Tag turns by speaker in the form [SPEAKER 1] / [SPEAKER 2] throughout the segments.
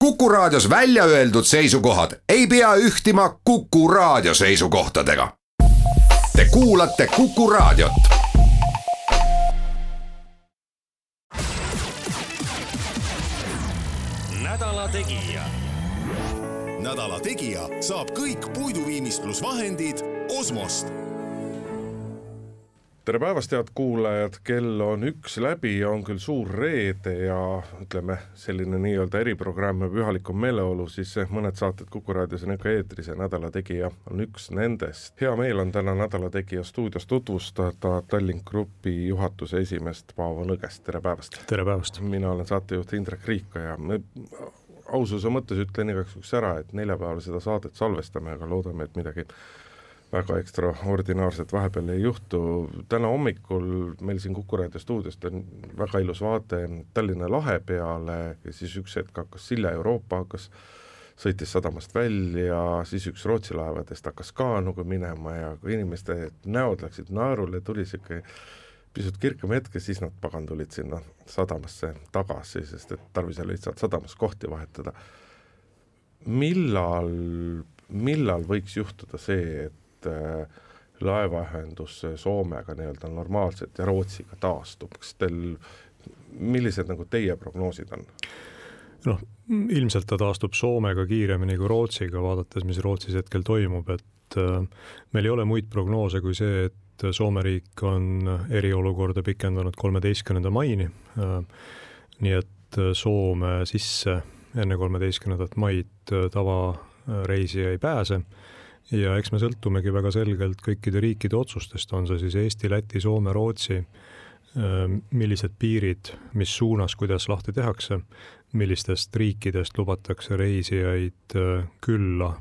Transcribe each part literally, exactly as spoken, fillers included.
[SPEAKER 1] Kuku Raadios välja öeldud seisukohad ei pea ühtima Kuku Raadio seisukohtadega. Te kuulate Kuku Raadiot.
[SPEAKER 2] Nädala Tegija.
[SPEAKER 3] Nädala Tegija saab kõik puiduviimistlusvahendid Osmost.
[SPEAKER 4] Tere päevast, head kuulajad, kell on üks läbi ja on küll suur reede ja ütleme selline nii-öelda eriprogramm ja pühalikum meeleolu, siis mõned saated Kuku Raadios on ikka eetris ja Nädala Tegija on üks nendest. Hea meel on täna Nädala Tegija stuudios tutvustada Tallink Grupi juhatuse esimest Paavo Nõgest. Tere päevast.
[SPEAKER 5] Tere päevast.
[SPEAKER 4] Mina olen saatejuht Indrek Riika ja me aususe mõttes ütlen igaks üks ära, et neljapäeval seda saadet salvestame, aga loodame, et midagi väga ekstraordinaarset vahepeal ei juhtu. Täna hommikul meil siin Kuku Raadio stuudiost on väga ilus vaade Tallinna lahe peale ja siis üks hetk hakkas Silja Euroopa, hakkas sõitis sadamast välja, siis üks Rootsi laevadest hakkas kaanuga minema ja kui inimeste näod läksid naerule, tuli siuke pisut kirkam hetke, siis nad pagan tulid sinna sadamasse tagasi, sest et tarvis oli lihtsalt sadamas kohti vahetada. Millal, millal võiks juhtuda see, et laevaühendus Soomega nii-öelda normaalselt ja Rootsiga taastub? Kas teil, millised nagu teie prognoosid on?
[SPEAKER 5] Noh, ilmselt ta taastub Soomega kiiremini kui Rootsiga, vaadates, mis Rootsis hetkel toimub, et meil ei ole muid prognoose kui see, et Soome riik on eriolukorda pikendanud kolmeteistkümnenda maini, nii et Soome sisse enne kolmeteistkümnendat maid tavareisija ei pääse. Ja eks me sõltumegi väga selgelt kõikide riikide otsustest, on see siis Eesti, Läti, Soome, Rootsi, millised piirid, mis suunas, kuidas lahti tehakse, millistest riikidest lubatakse reisijaid külla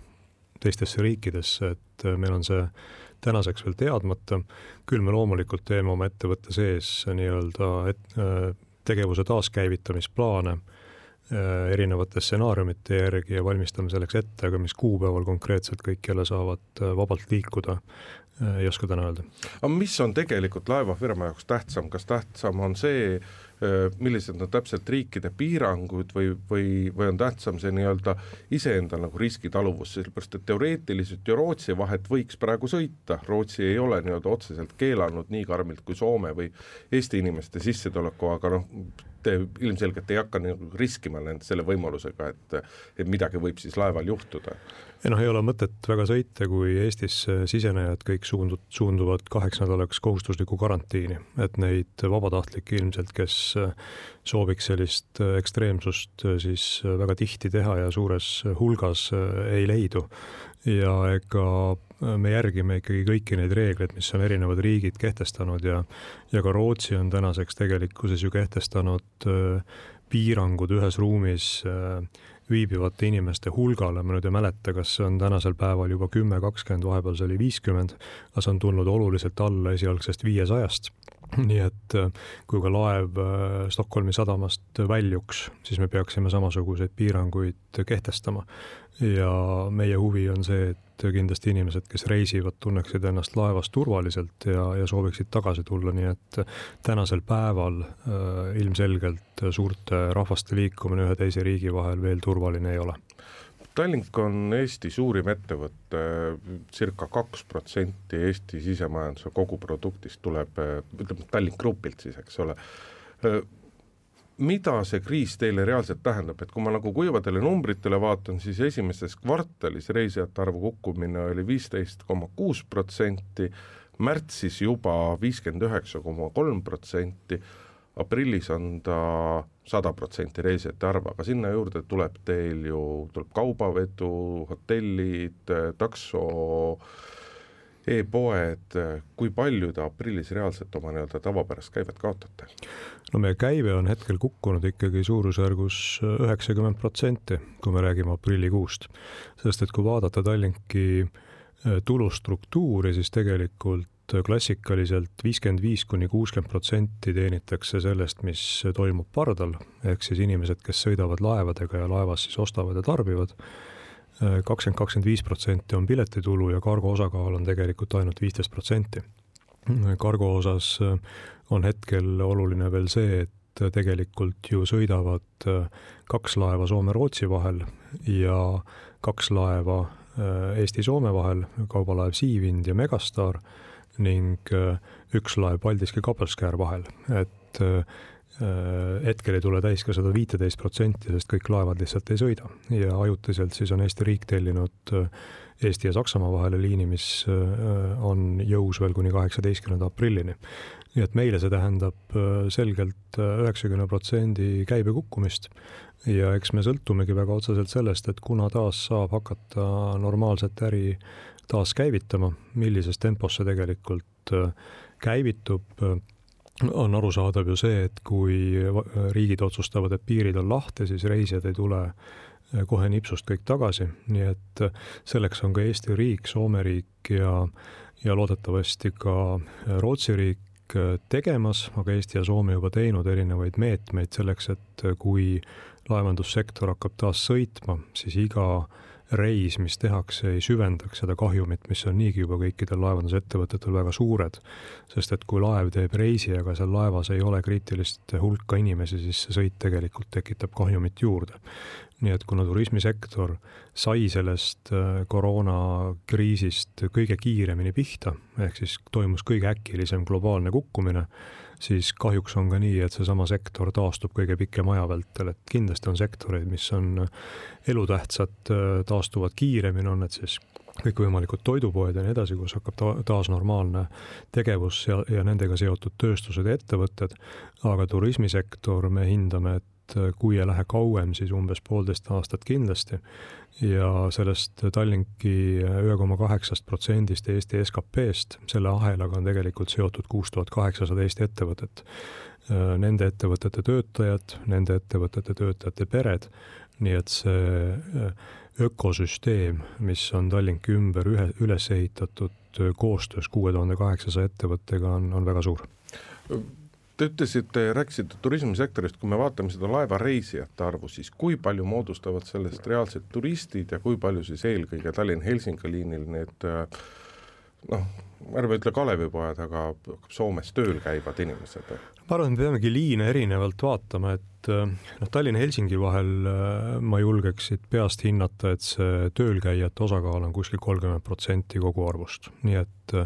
[SPEAKER 5] teistesse riikidesse, et meil on see tänaseks veel teadmata. Küll me loomulikult teeme oma ettevõtte sees nii-öelda et, tegevuse taaskäivitamisplaane erinevate stsenaariumite järgi ja valmistame selleks ette, aga mis kuupäeval konkreetselt kõik jälle saavad vabalt liikuda, ei oska täna öelda.
[SPEAKER 4] Aga mis on tegelikult laevafirma jaoks tähtsam? Kas tähtsam on see, millised on täpselt riikide piirangud või, või, või on tähtsam see nii-öelda iseenda nagu riskitaluvus, sellepärast et teoreetiliselt ju Rootsi vahet võiks praegu sõita. Rootsi ei ole nii-öelda otseselt keelanud nii karmilt kui Soome või Eesti inimeste sissetuleku, aga noh, te ilmselgelt ei hakka nagu riskima nende selle võimalusega, et, et midagi võib siis laeval juhtuda.
[SPEAKER 5] Ja noh, ei ole mõtet väga sõita, kui Eestis sisenejad kõik suundud, suunduvad kaheks nädalaks kohustusliku karantiini, et neid vabatahtlikke ilmselt, kes sooviks sellist ekstreemsust siis väga tihti teha ja suures hulgas ei leidu. Ja ega me järgime ikkagi kõiki neid reegleid, mis on erinevad riigid kehtestanud ja, ja ka Rootsi on tänaseks tegelikkuses ju kehtestanud piirangud ühes ruumis viibivate inimeste hulgale. Ma nüüd ei mäleta, kas see on tänasel päeval juba kümme kakskümmend, vahepeal see oli viiskümmend, aga see on tulnud oluliselt alla esialgsest viiesajast. Nii et kui ka laev Stockholmi sadamast väljuks, siis me peaksime samasuguseid piiranguid kehtestama. Ja meie huvi on see, et kindlasti inimesed, kes reisivad, tunneksid ennast laevas turvaliselt ja, ja sooviksid tagasi tulla, nii et tänasel päeval äh, ilmselgelt suurte rahvaste liikumine ühe teise riigi vahel veel turvaline ei ole.
[SPEAKER 4] Tallink on Eesti suurim ettevõtte, circa kaks protsenti Eesti sisemajanduse koguproduktist tuleb, ütleme Tallink Grupilt siis, eks ole. Mida see kriis teile reaalselt tähendab, et kui ma nagu kuivadele numbritele vaatan, siis esimeses kvartalis reisijate arvu kukkumine oli viisteist koma kuus protsenti, märtsis juba viiskümmend üheksa koma kolm protsenti, aprillis on ta sada protsenti reisijate arv, aga sinna juurde tuleb teil ju tuleb kaubavedu, hotellid, takso, e-poed, kui palju ta aprillis reaalselt oma nii-öelda tavapärast käivet kaotate?
[SPEAKER 5] No meie käive on hetkel kukkunud ikkagi suurusjärgus üheksakümmend protsenti, kui me räägime aprillikuust. Sest et kui vaadata Tallinki tulustruktuuri, siis tegelikult klassikaliselt viiskümmend viis kuni kuuskümmend protsenti teenitakse sellest, mis toimub pardal, ehk siis inimesed, kes sõidavad laevadega ja laevas siis ostavad ja tarbivad. kakskümmend kuni kakskümmend viis protsenti on piletitulu ja kargo osakaal on tegelikult ainult viisteist protsenti. Kargo osas on hetkel oluline veel see, et tegelikult ju sõidavad kaks laeva Soome-Rootsi vahel ja kaks laeva Eesti-Soome vahel, kaubalaev Siivind ja Megastar ning üks laev Paldiski Kapelskär vahel, et hetkel ei tule täis ka sada viiteist protsenti, sest kõik laevad lihtsalt ei sõida ja ajutiselt siis on Eesti riik tellinud Eesti ja Saksamaa vahele liini, mis on jõus veel kuni kaheksateistkümnenda aprillini. Nii et meile see tähendab selgelt üheksakümmend protsenti käibe kukkumist ja eks me sõltumegi väga otseselt sellest, et kuna taas saab hakata normaalset äri taas käivitama, millises tempos see tegelikult käivitub, on arusaadav ju see, et kui riigid otsustavad, et piirid on lahti, siis reisijad ei tule kohe nipsust kõik tagasi, nii et selleks on ka Eesti riik, Soome riik ja, ja loodetavasti ka Rootsi riik tegemas, aga Eesti ja Soome juba teinud erinevaid meetmeid selleks, et kui laevandussektor hakkab taas sõitma, siis iga reis, mis tehakse, ei süvendaks seda kahjumit, mis on niigi juba kõikidel laevandusettevõtetel väga suured, sest et kui laev teeb reisi, aga seal laevas ei ole kriitilist hulka inimesi, siis see sõit tegelikult tekitab kahjumit juurde. Nii et kuna turismisektor sai sellest koroonakriisist kõige kiiremini pihta, ehk siis toimus kõige äkilisem globaalne kukkumine, siis kahjuks on ka nii, et seesama sektor taastub kõige pikem aja vältel, et kindlasti on sektoreid, mis on elutähtsad, taastuvad kiiremini, on need siis kõikvõimalikud toidupoed ja nii edasi, kus hakkab ta- taas normaalne tegevus ja, ja nendega seotud tööstused ja ettevõtted, aga turismisektor me hindame, et kui ei lähe kauem, siis umbes poolteist aastat kindlasti ja sellest Tallinki ühe koma kaheksa protsendist Eesti S K P-st selle ahelaga on tegelikult seotud kuus tuhat kaheksasada Eesti ettevõtet. Nende ettevõtete töötajad, nende ettevõtete töötajate pered, nii et see ökosüsteem, mis on Tallinki ümber ühe, üles ehitatud koostöös kuue tuhande kaheksasaja ettevõttega on, on väga suur.
[SPEAKER 4] Te ütlesite, rääkisite turismisektorist, kui me vaatame seda laevareisijate arvu, siis kui palju moodustavad sellest reaalsed turistid ja kui palju siis eelkõige Tallinn-Helsingi liinil need, noh, ärme ütle Kalevipojad, aga Soomes tööl käivad inimesed?
[SPEAKER 5] Ma arvan, me peamegi liine erinevalt vaatama, et noh, Tallinn-Helsingi vahel ma julgeksid peast hinnata, et see töölkäijate osakaal on kuskil kolmkümmend protsenti kogu arvust. Nii et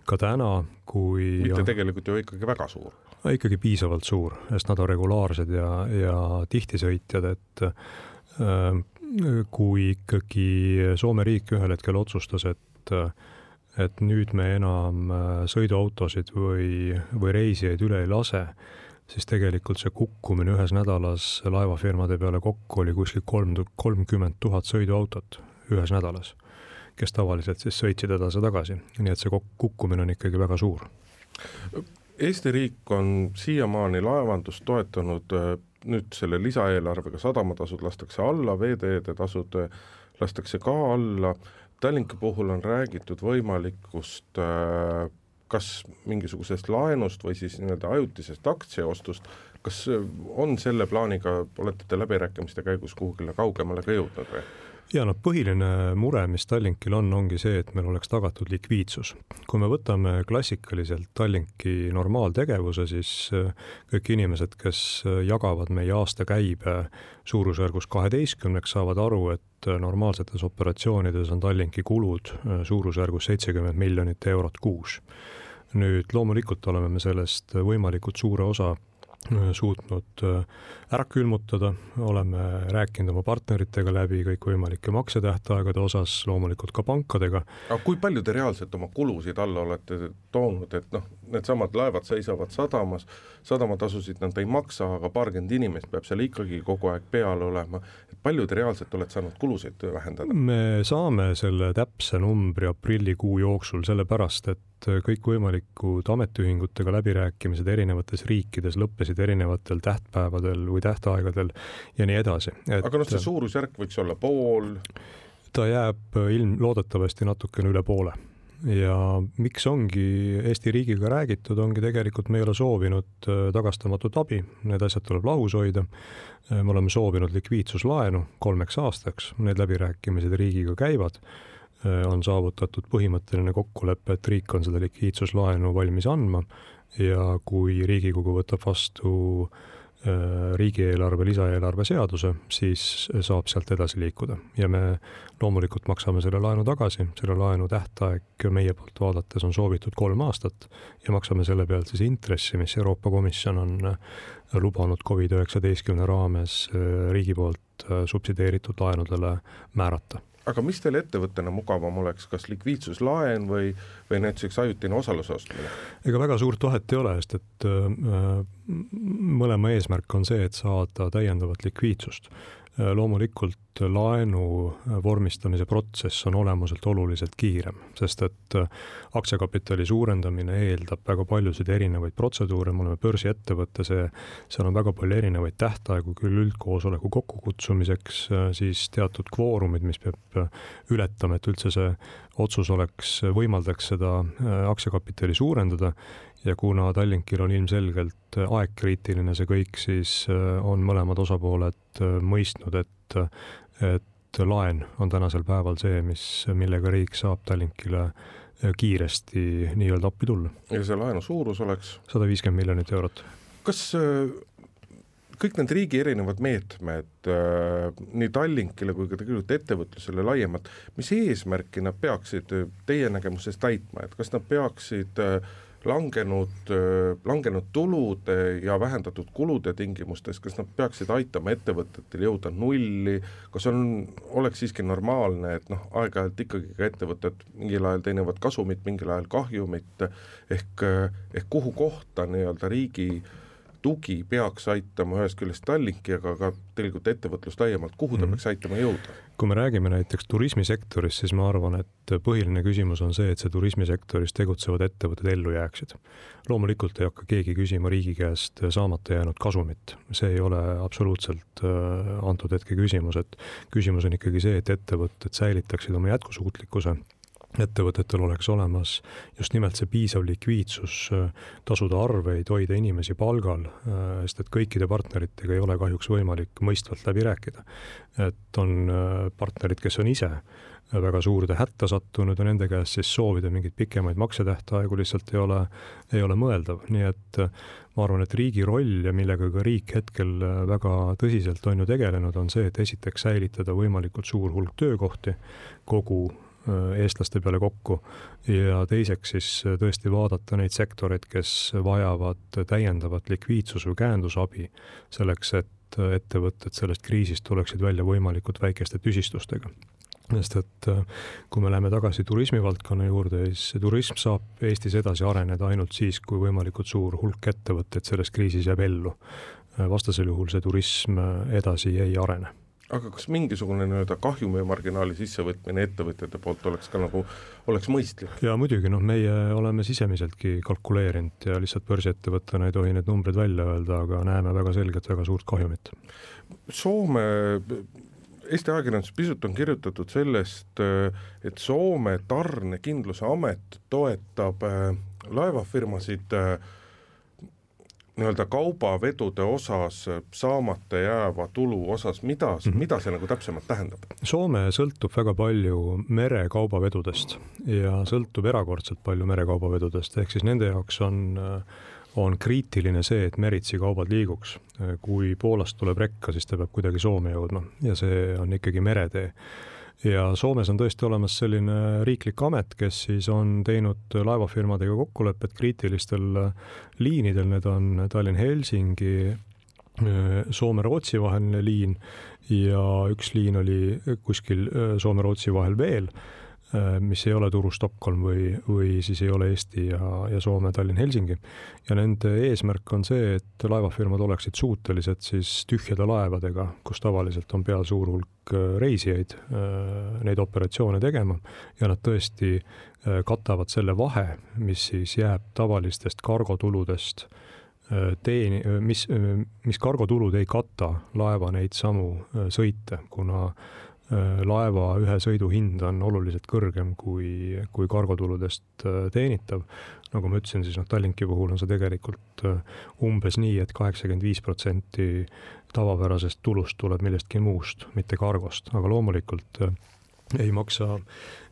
[SPEAKER 5] ka täna, kui...
[SPEAKER 4] Mitte tegelikult ju ikkagi väga suur.
[SPEAKER 5] Ikkagi piisavalt suur, sest nad on regulaarsed ja, ja tihtisõitjad, et äh, kui ikkagi Soome riik ühel hetkel otsustas, et, et nüüd me enam sõiduautosid või, või reisijaid üle ei lase, siis tegelikult see kukkumine ühes nädalas laevafirmade peale kokku oli kuskil kolmkümmend tuhat sõiduautot ühes nädalas, kes tavaliselt siis sõitsid edasi tagasi. Nii et see kukkumine on ikkagi väga suur.
[SPEAKER 4] Eesti riik on siiamaani laevandust toetanud nüüd selle lisaeelarvega, sadamatasud lastakse alla, veeteede tasud lastakse ka alla. Tallinki puhul on räägitud võimalikust kas mingisugusest laenust või siis nii-öelda ajutisest aktsiaostust. Kas on selle plaaniga, olete te läbirääkimiste käigus kuhugile kaugemale ka jõudnud või?
[SPEAKER 5] Ja no põhiline mure, mis Tallinkil on, ongi see, et meil oleks tagatud likviidsus. Kui me võtame klassikaliselt Tallinki normaaltegevuse, siis kõik inimesed, kes jagavad meie aasta käibe suurusjärgus kaheteistkümneks, saavad aru, et normaalsetes operatsioonides on Tallinki kulud suurusjärgus seitsekümmend miljonit eurot kuus. Nüüd loomulikult oleme me sellest võimalikult suure osa suutnud ära külmutada, oleme rääkinud oma partneritega läbi kõik võimalike maksetähtaegade osas, loomulikult ka pankadega.
[SPEAKER 4] Aga kui palju te reaalselt oma kulusid alla olete toonud, et noh, need samad laevad seisavad sadamas, sadamatasusid nad ei maksa, aga paarkümmend inimest peab seal ikkagi kogu aeg peal olema, et palju te reaalselt olete saanud kulusid vähendada?
[SPEAKER 5] Me saame selle täpse numbri aprillikuu jooksul sellepärast, et kõik võimalikud ametiühingutega läbirääkimised erinevates riikides lõppesid erinevatel tähtpäevadel või tähtaegadel ja nii edasi. Et
[SPEAKER 4] aga noh, see suurusjärk võiks olla pool?
[SPEAKER 5] Ta jääb ilm loodetavasti natukene üle poole. Ja miks ongi Eesti riigiga räägitud, ongi tegelikult me ei ole soovinud tagastamatut abi, need asjad tuleb lahus hoida. Me oleme soovinud likviidsuslaenu kolmeks aastaks, need läbirääkimised riigiga käivad. On saavutatud põhimõtteline kokkulepe, et riik on seda likviidsuslaenu valmis andma ja kui Riigikogu võtab vastu riigieelarve, lisaeelarve seaduse, siis saab sealt edasi liikuda. Ja me loomulikult maksame selle laenu tagasi, selle laenu tähtaeg meie poolt vaadates on soovitud kolm aastat ja maksame selle pealt siis intressi, mis Euroopa Komisjon on lubanud covid üheksateist raames riigi poolt subsideeritud laenudele määrata.
[SPEAKER 4] Aga mis teil ettevõttena mugavam oleks, kas likviidsuslaen või, või näiteks ajutine osaluse ostmine?
[SPEAKER 5] Ega väga suurt vahet ei ole, sest et mõlema eesmärk on see, et saada täiendavat likviidsust. Loomulikult laenu vormistamise protsess on olemuselt oluliselt kiirem, sest et aktsiakapitali suurendamine eeldab väga paljusid erinevaid protseduure, me oleme börsiettevõtte, see, seal on väga palju erinevaid tähtaegu, küll üldkoosoleku kokkukutsumiseks, siis teatud kvoorumid, mis peab ületama, et üldse see otsus oleks, võimaldaks seda aktsiakapitali suurendada. Ja kuna Tallinkil on ilmselgelt aegkriitiline see kõik, siis on mõlemad osapooled mõistnud, et, et laen on tänasel päeval see, mis, millega riik saab Tallinkile kiiresti nii-öelda appi tulla.
[SPEAKER 4] Ja see laenu suurus oleks?
[SPEAKER 5] sada viiskümmend miljonit eurot.
[SPEAKER 4] Kas kõik need riigi erinevad meetmed, nii Tallinkile kui ka tegelikult ettevõtlusele laiemalt, mis eesmärki nad peaksid teie nägemuses täitma, et kas nad peaksid langenud, langenud tulude ja vähendatud kulude tingimustes, kas nad peaksid aitama ettevõtetel jõuda nulli, kas on, oleks siiski normaalne, et noh, aeg-ajalt ikkagi ka ettevõtted mingil ajal teenivad kasumit, mingil ajal kahjumit, ehk, ehk kuhu kohta nii-öelda riigi tugi peaks aitama ühest küljest Tallinki, aga ka tegelikult ettevõtlust laiemalt, kuhu ta peaks aitama jõuda?
[SPEAKER 5] Kui me räägime näiteks turismisektoris, siis ma arvan, et põhiline küsimus on see, et see turismisektoris tegutsevad ettevõtted ellu jääksid. Loomulikult ei hakka keegi küsima riigi käest saamata jäänud kasumit. See ei ole absoluutselt antud hetke küsimus, et küsimus on ikkagi see, et ettevõtted säilitaksid oma jätkusuutlikkuse, ettevõtetel oleks olemas just nimelt see piisav likviidsus, tasuda arveid, hoida inimesi palgal, sest et kõikide partneritega ei ole kahjuks võimalik mõistvalt läbi rääkida. Et on partnerid, kes on ise väga suurde hätta sattunud ja nende käest siis soovida mingeid pikemaid maksetähtaegu lihtsalt ei ole, ei ole mõeldav. Nii et ma arvan, et riigi roll ja millega ka riik hetkel väga tõsiselt on ju tegelenud, on see, et esiteks säilitada võimalikult suur hulk töökohti kogu eestlaste peale kokku ja teiseks siis tõesti vaadata neid sektoreid, kes vajavad täiendavat likviidsus- või käendusabi selleks, et ettevõtted sellest kriisist tuleksid välja võimalikult väikeste tüsistustega. Sest et kui me läheme tagasi turismivaldkonna juurde, siis turism saab Eestis edasi areneda ainult siis, kui võimalikult suur hulk ettevõtteid selles kriisis jääb ellu. Vastasel juhul see turism edasi ei arene.
[SPEAKER 4] Aga kas mingisugune nii-öelda kahjumi marginaali sissevõtmine ettevõtjate poolt oleks ka nagu, oleks mõistlik?
[SPEAKER 5] Ja muidugi, noh, meie oleme sisemiseltki kalkuleerinud ja lihtsalt börsiettevõttena ei tohi need numbrid välja öelda, aga näeme väga selgelt väga suurt kahjumit.
[SPEAKER 4] Soome, Eesti ajakirjandus pisut on kirjutatud sellest, et Soome tarnekindluse amet toetab laevafirmasid nii-öelda kaubavedude osas saamata jääva tulu osas, mida, mm-hmm. mida see nagu täpsemalt tähendab?
[SPEAKER 5] Soome sõltub väga palju merekaubavedudest ja sõltub erakordselt palju merekaubavedudest, ehk siis nende jaoks on, on kriitiline see, et meritsi kaubad liiguks. Kui Poolast tuleb rekka, siis ta peab kuidagi Soome jõudma ja see on ikkagi meretee. Ja Soomes on tõesti olemas selline riiklik amet, kes siis on teinud laevafirmadega kokkulepped kriitilistel liinidel, need on Tallinn-Helsingi, Soome-Rootsi vaheline liin ja üks liin oli kuskil Soome-Rootsi vahel veel, mis ei ole Turu Stockholm või, või siis ei ole Eesti ja, ja Soome Tallinn-Helsingi. Ja nende eesmärk on see, et laevafirmad oleksid suutelised siis tühjade laevadega, kus tavaliselt on peal suur hulk reisijaid, neid operatsioone tegema ja nad tõesti katavad selle vahe, mis siis jääb tavalistest kargotuludest teeni, mis, mis kargotulud ei kata laeva neid samu sõite, kuna laeva ühe sõidu hind on oluliselt kõrgem kui, kui kargotuludest teenitav. Nagu ma ütlesin, siis noh, Tallinki puhul on see tegelikult umbes nii, et kaheksakümmend viis protsenti tavapärasest tulust tuleb millestki muust, mitte kargost. Aga loomulikult ei maksa,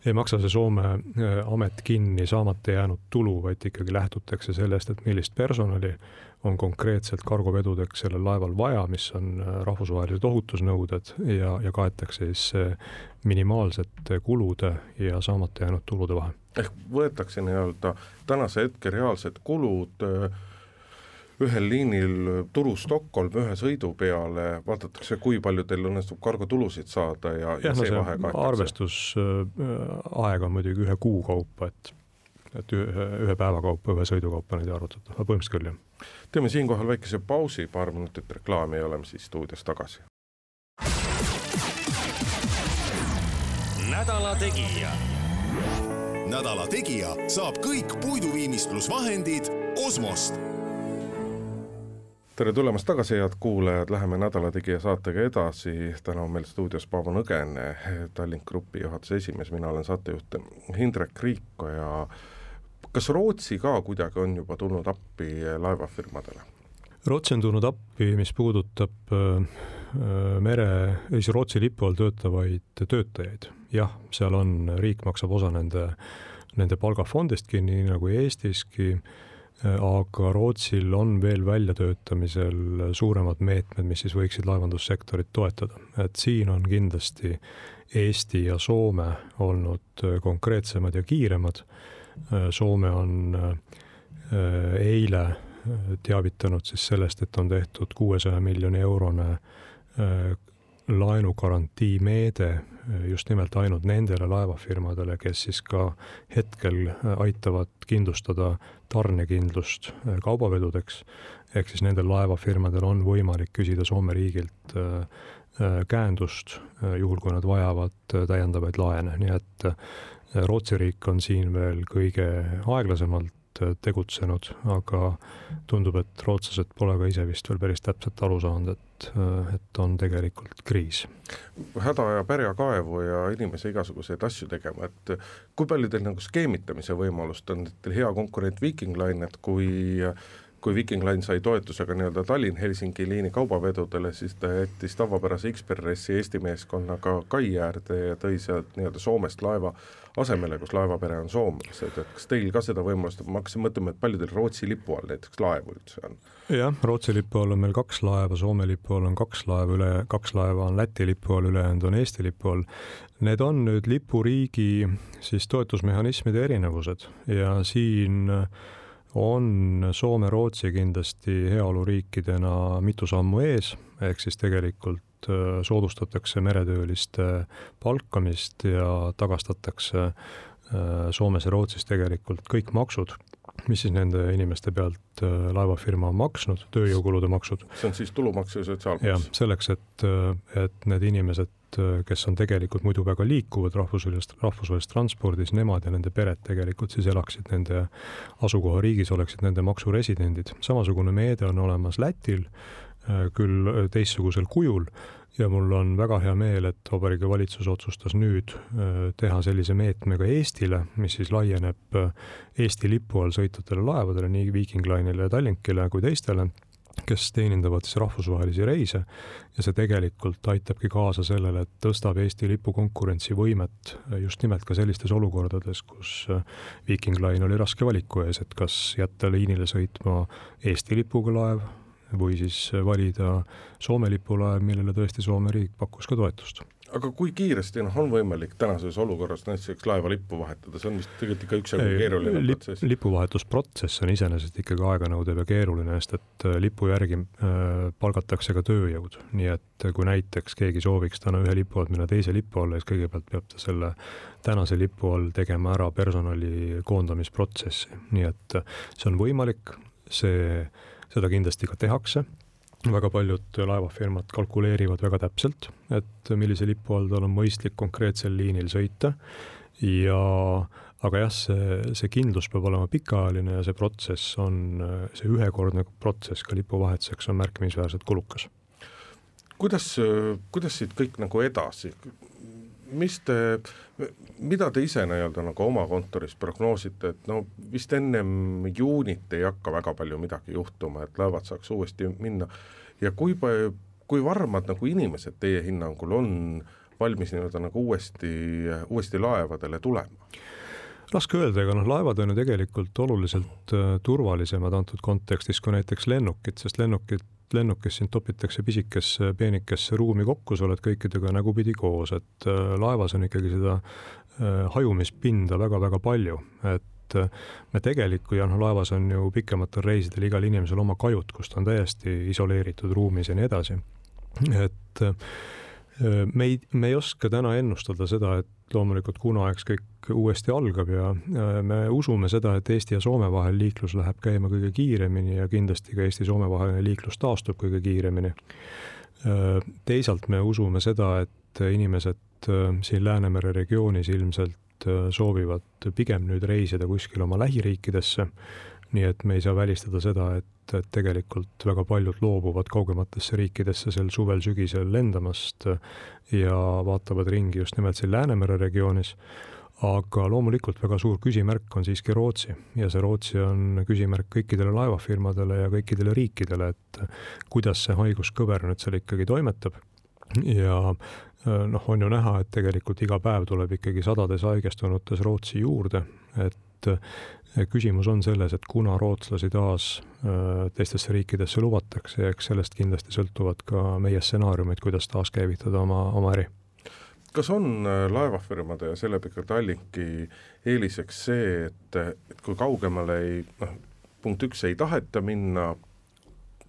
[SPEAKER 5] ei maksa see Soome amet kinni saamata jäänud tulu, vaid ikkagi lähtutakse sellest, et millist personali on konkreetselt kargovedudeks sellel laeval vaja, mis on rahvusvahelised ohutusnõuded ja, ja kaetakse siis minimaalsete kulude ja saamata jäänud tulude vahe.
[SPEAKER 4] Ehk võetakse nii-öelda tänase hetke reaalsed kulud ühel liinil Turu Stockholm ühe sõidu peale, vaadatakse, kui palju teil õnnestub kargotulusid saada ja, ja, ja see, no see vahe kaetakse.
[SPEAKER 5] Arvestusaeg on muidugi ühe kuu kaupa, et, et ühe, ühe päeva kaupa, ühe sõidu kaupa neid arvutada, aga põhimõtteliselt küll, jah.
[SPEAKER 4] Teeme siinkohal väikese pausi, paar minutit reklaami ja oleme siis stuudios tagasi.
[SPEAKER 2] Nädala Tegija.
[SPEAKER 3] Nädala Tegija saab kõik puiduviimistlusvahendid Osmost.
[SPEAKER 4] Tere tulemast tagasi, head kuulajad, läheme Nädala Tegija saatega edasi. Täna on meil stuudios Paavo Nõgene, Tallink Grupi juhatuse esimees, mina olen saatejuht Hindrek Riiko ja kas Rootsi ka kuidagi on juba tulnud appi laevafirmadele?
[SPEAKER 5] Rootsi on tulnud appi, mis puudutab mere, Rootsi lipu all töötavaid töötajaid. Jah, seal on, riik maksab osa nende, nende palgafondistki, nii nagu Eestiski, aga Rootsil on veel väljatöötamisel suuremad meetmed, mis siis võiksid laevandussektorit toetada. Et siin on kindlasti Eesti ja Soome olnud konkreetsemad ja kiiremad. Soome on eile teavitanud siis sellest, et on tehtud kuuesaja miljoni eurone laenugarantii meede just nimelt ainult nendele laevafirmadele, kes siis ka hetkel aitavad kindlustada tarnekindlust kaubavedudeks. Ehk siis nendel laevafirmadel on võimalik küsida Soome riigilt käendust, juhul kui nad vajavad täiendavaid laene. Nii et Rootsi riik on siin veel kõige aeglasemalt tegutsenud, aga tundub, et rootslased pole ka ise vist veel päris täpselt aru saanud, et, et on tegelikult kriis.
[SPEAKER 4] Häda ja pärja kaevu ja inimese igasuguseid asju tegema, et kui palju teil nagu skeemitamise võimalust on, et teil hea konkurent Viking Line, et kui kui Viking Line sai toetusega nii-öelda Tallinn-Helsingi liini kaubavedudele, siis ta jättis tavapärase X-Pressi Eesti meeskonnaga kai äärde ja tõi sealt nii-öelda Soomest laeva asemele, kus laevapere on soomlased. Et kas teil ka seda võimalust, ma hakkasin mõtlema, et palju teil Rootsi lipu all näiteks laevu üldse on?
[SPEAKER 5] Jah, Rootsi lipu all on meil kaks laeva, Soome lipu all on kaks laeva, üle, kaks laeva on Läti lipu all, ülejäänud on Eesti lipu all. Need on nüüd lipuriigi siis toetusmehhanismide erinevused ja siin on Soome-Rootsi kindlasti heaoluriikidena mitu sammu ees, ehk siis tegelikult soodustatakse meretööliste palkamist ja tagastatakse Soomes ja Rootsis tegelikult kõik maksud, mis siis nende inimeste pealt laevafirma on maksnud, tööjõukulude maksud.
[SPEAKER 4] See on siis tulumaks ja sotsiaalmaks?
[SPEAKER 5] Ja, selleks, et, et need inimesed, kes on tegelikult muidu väga liikuvad rahvusvahelist, rahvusvahelist transpordis, nemad ja nende pered tegelikult siis elaksid nende asukoha riigis, oleksid nende maksuresidendid. Samasugune meede on olemas Lätil, küll teistsugusel kujul ja mul on väga hea meel, et Vabariigi Valitsus otsustas nüüd teha sellise meetme ka Eestile, mis siis laieneb Eesti lipu all sõitvatele laevadele, nii Viking Line'ile ja Tallinkile kui teistele, kes teenindavad siis rahvusvahelisi reise ja see tegelikult aitabki kaasa sellele, et tõstab Eesti lipu konkurentsivõimet just nimelt ka sellistes olukordades, kus Viking Line oli raske valiku ees, et kas jätta liinile sõitma Eesti lipuga laev või siis valida Soome lipulaev, millele tõesti Soome riik pakkus ka toetust.
[SPEAKER 4] Aga kui kiiresti no, on võimalik tänases olukorras näiteks laeva lippu vahetada? See on vist tegelikult ikka üks aega keeruline
[SPEAKER 5] Lip,
[SPEAKER 4] protsess.
[SPEAKER 5] Lipuvahetusprotsess on iseenesest ikkagi aeganõudev ja keeruline, sest et lipu järgi äh, palgatakse ka tööjõud. Nii et kui näiteks keegi sooviks täna ühe lipu alt minna teise lipu alla, siis kõigepealt peab ta selle tänase lipu all tegema ära personali koondamisprotsessi. Nii et see on võimalik, see seda kindlasti ka tehakse. Väga paljud laevafirmad kalkuleerivad väga täpselt, et millise lipu all tal on mõistlik konkreetsel liinil sõita. Ja, aga jah, see, see kindlus peab olema pikaajaline ja see protsess on, see ühekordne protsess ka lipuvahetuseks on märkimisväärselt kulukas.
[SPEAKER 4] Kuidas, kuidas siit kõik nagu edasi? Mis te, mida te ise nii-öelda nagu oma kontoris prognoosite, et no vist ennem juunit ei hakka väga palju midagi juhtuma, et laevad saaks uuesti minna ja kui, kui varmad nagu inimesed teie hinnangul on valmis nii-öelda nagu uuesti, uuesti laevadele tulema?
[SPEAKER 5] Raske öelda, aga noh, laevad on ju tegelikult oluliselt turvalisemad antud kontekstis kui näiteks lennukid, sest lennukid, lennukis sind topitakse pisikesse, peenikesse ruumi kokku, sa oled kõikidega nägupidi koos, et laevas on ikkagi seda hajumispinda väga-väga palju, et me tegelikult, ja noh, laevas on ju pikematel reisidel igal inimesel oma kajut, kus ta on täiesti isoleeritud ruumis ja nii edasi. Et me ei, me ei oska täna ennustada seda, et loomulikult kuna eks kõik uuesti algab ja me usume seda, et Eesti ja Soome vahel liiklus läheb käima kõige kiiremini ja kindlasti ka Eesti-Soome vaheline liiklus taastub kõige kiiremini. Teisalt me usume seda, et inimesed siin Läänemere regioonis ilmselt soovivad pigem nüüd reisida kuskil oma lähiriikidesse, nii et me ei saa välistada seda, et, et tegelikult väga paljud loobuvad kaugematesse riikidesse sel suvel-sügisel lendamast ja vaatavad ringi just nimelt siin Läänemere regioonis, aga loomulikult väga suur küsimärk on siiski Rootsi ja see Rootsi on küsimärk kõikidele laevafirmadele ja kõikidele riikidele, et kuidas see haiguskõver nüüd seal ikkagi toimetab ja noh, on ju näha, et tegelikult iga päev tuleb ikkagi sadades haigestunutes Rootsi juurde, et küsimus on selles, et kuna rootslasi taas teistesse riikidesse lubatakse ja eks sellest kindlasti sõltuvad ka meie stsenaariumid, kuidas taas käivitada oma, oma äri.
[SPEAKER 4] Kas on laevafirmade ja selle pikalt Tallinki eeliseks see, et, et kui kaugemale ei, noh, punkt üks ei taheta minna,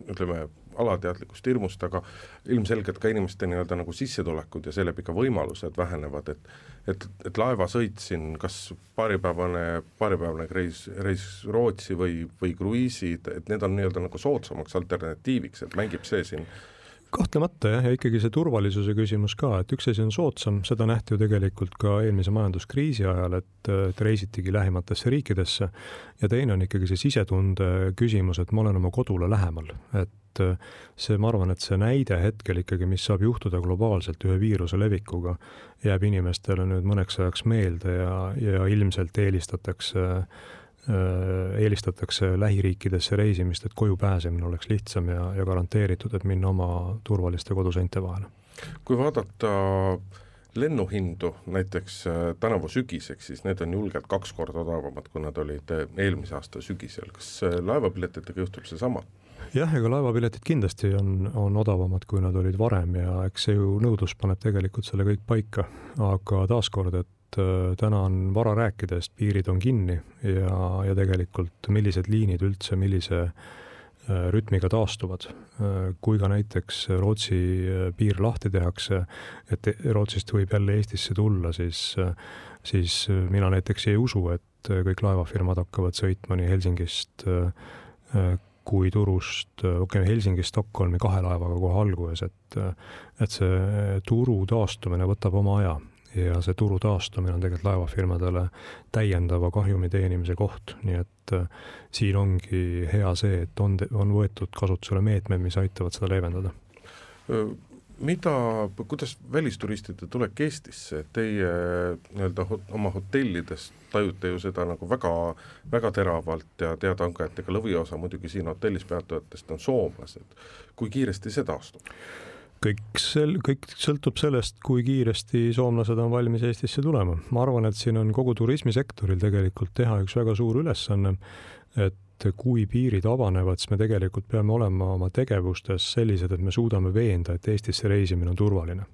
[SPEAKER 4] ütleme, alateadlikust hirmust, aga ilmselgelt ka inimeste nii-öelda nagu sissetulekud ja selle pika võimalused vähenevad, et, et, et laeva sõitsin, kas paaripäevane, paaripäevane reis, reis Rootsi või, või kruiisid, et need on nii-öelda nagu soodsamaks alternatiiviks, et mängib see siin?
[SPEAKER 5] Kahtlemata jah, ja ikkagi see turvalisuse küsimus ka, et üks asi on soodsam, seda nähti ju tegelikult ka eelmise majanduskriisi ajal, et, et reisitigi lähimatesse riikidesse ja teine on ikkagi see sisetunde küsimus, et ma olen oma kodule lähemal, et see, ma arvan, et see näide hetkel ikkagi, mis saab juhtuda globaalselt ühe viiruse levikuga, jääb inimestele nüüd mõneks ajaks meelde ja, ja ilmselt eelistatakse eelistatakse lähiriikidesse reisimist, et koju pääsemine oleks lihtsam ja, ja garanteeritud, et minna oma turvaliste koduseinte vahele.
[SPEAKER 4] Kui vaadata lennuhindu näiteks tänavu sügiseks, siis need on julgelt kaks korda odavamad, kui nad olid eelmise aasta sügisel. Kas laevapiletitega juhtub see sama?
[SPEAKER 5] Jah, ega laevapiletid kindlasti on, on odavamad, kui nad olid varem ja eks see ju nõudlus paneb tegelikult selle kõik paika, aga taaskord, et täna on vara rääkides, piirid on kinni ja, ja tegelikult millised liinid üldse, millise rütmiga taastuvad. Kui ka näiteks Rootsi piir lahti tehakse, et Rootsist võib jälle Eestisse tulla, siis, siis mina näiteks ei usu, et kõik laevafirmad hakkavad sõitma nii Helsingist kui Turust, okei, okay, Helsingist Stockholmi kahe laevaga kohe alguses, et, et see turu taastumine võtab oma aja. Ja see turu taastumine on tegelikult laevafirmadele täiendava kahjumi teenimise koht, nii et äh, siin ongi hea see, et on, on võetud kasutusele meetmed, mis aitavad seda leevendada.
[SPEAKER 4] Mida, kuidas välisturistide tulek Eestisse? Teie nii-öelda oma hotellides tajute ju seda nagu väga, väga teravalt ja teada on ka, et ega lõviosa muidugi siin hotellis peatujatest on soomlased. Kui kiiresti see taastub?
[SPEAKER 5] Kõik, sel, kõik sõltub sellest, kui kiiresti soomlased on valmis Eestisse tulema. Ma arvan, et siin on kogu turismisektoril tegelikult teha üks väga suur ülesanne, et kui piirid avanevad, siis me tegelikult peame olema oma tegevustes sellised, et me suudame veenda, et Eestisse reisimine on turvaline.